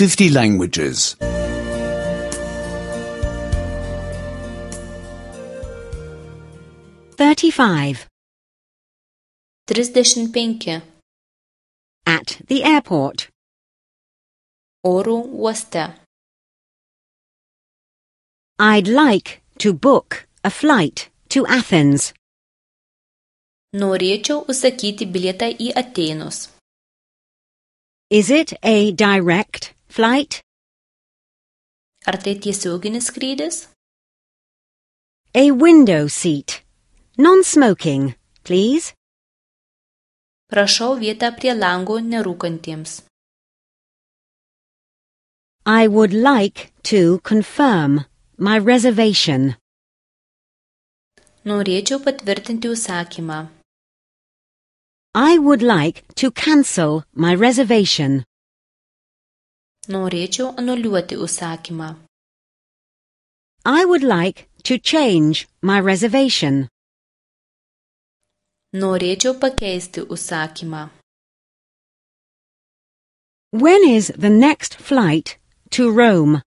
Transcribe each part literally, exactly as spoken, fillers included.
fifty languages. thirty-five. Trisdešimt penki. At the airport. Oro uoste. I'd like to book a flight to Athens. Norėčiau užsakyti bilietą į Atėnus. Is it a direct flight? Ar tai tiesioginis skrydis? A window seat. Non-smoking, please. Prašau vietą prie lango nerūkantiems. I would like to confirm my reservation. Norėčiau patvirtinti užsakymą. I would like to cancel my reservation. Norėčiau anuliuoti užsakymą. I would like to change my reservation. Norėčiau pakeisti užsakymą. When is the next flight to Rome?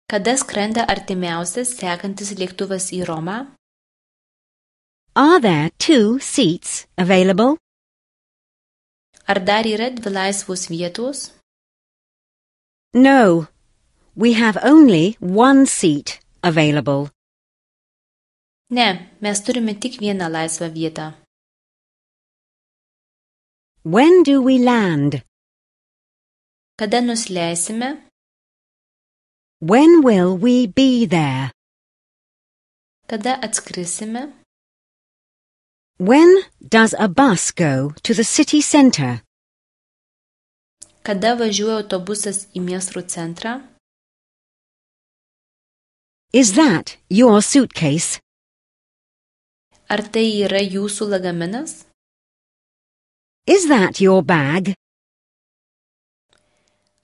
Kada skrenda artimiausias sekantis lėktuvas į Romą? Are there two seats available? Ar dar yra dvi laisvos vietos? No, we have only one seat available. Ne, mes turime tik vieną laisvą vietą. When do we land? Kada nusileisime? When will we be there? Kada atskrisime? When does a bus go to the city centre? Kada važiuoja autobusas į miesto centrą? Is that your suitcase? Ar tai yra jūsų lagaminas? Is that your bag?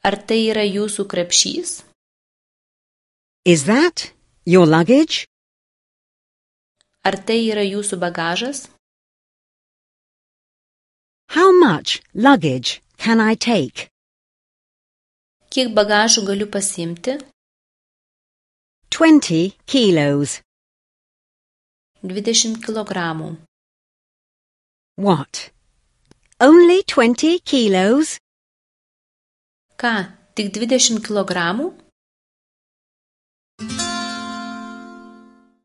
Ar tai yra jūsų krepšys? Is that your luggage? Ar tai yra jūsų bagažas? How much luggage can I take? Kiek bagažų galiu pasiimti? Twenty kilos. dvidešimt kilogramų. What? Only twenty kilos? Ką, tik dvidešimt kilogramų?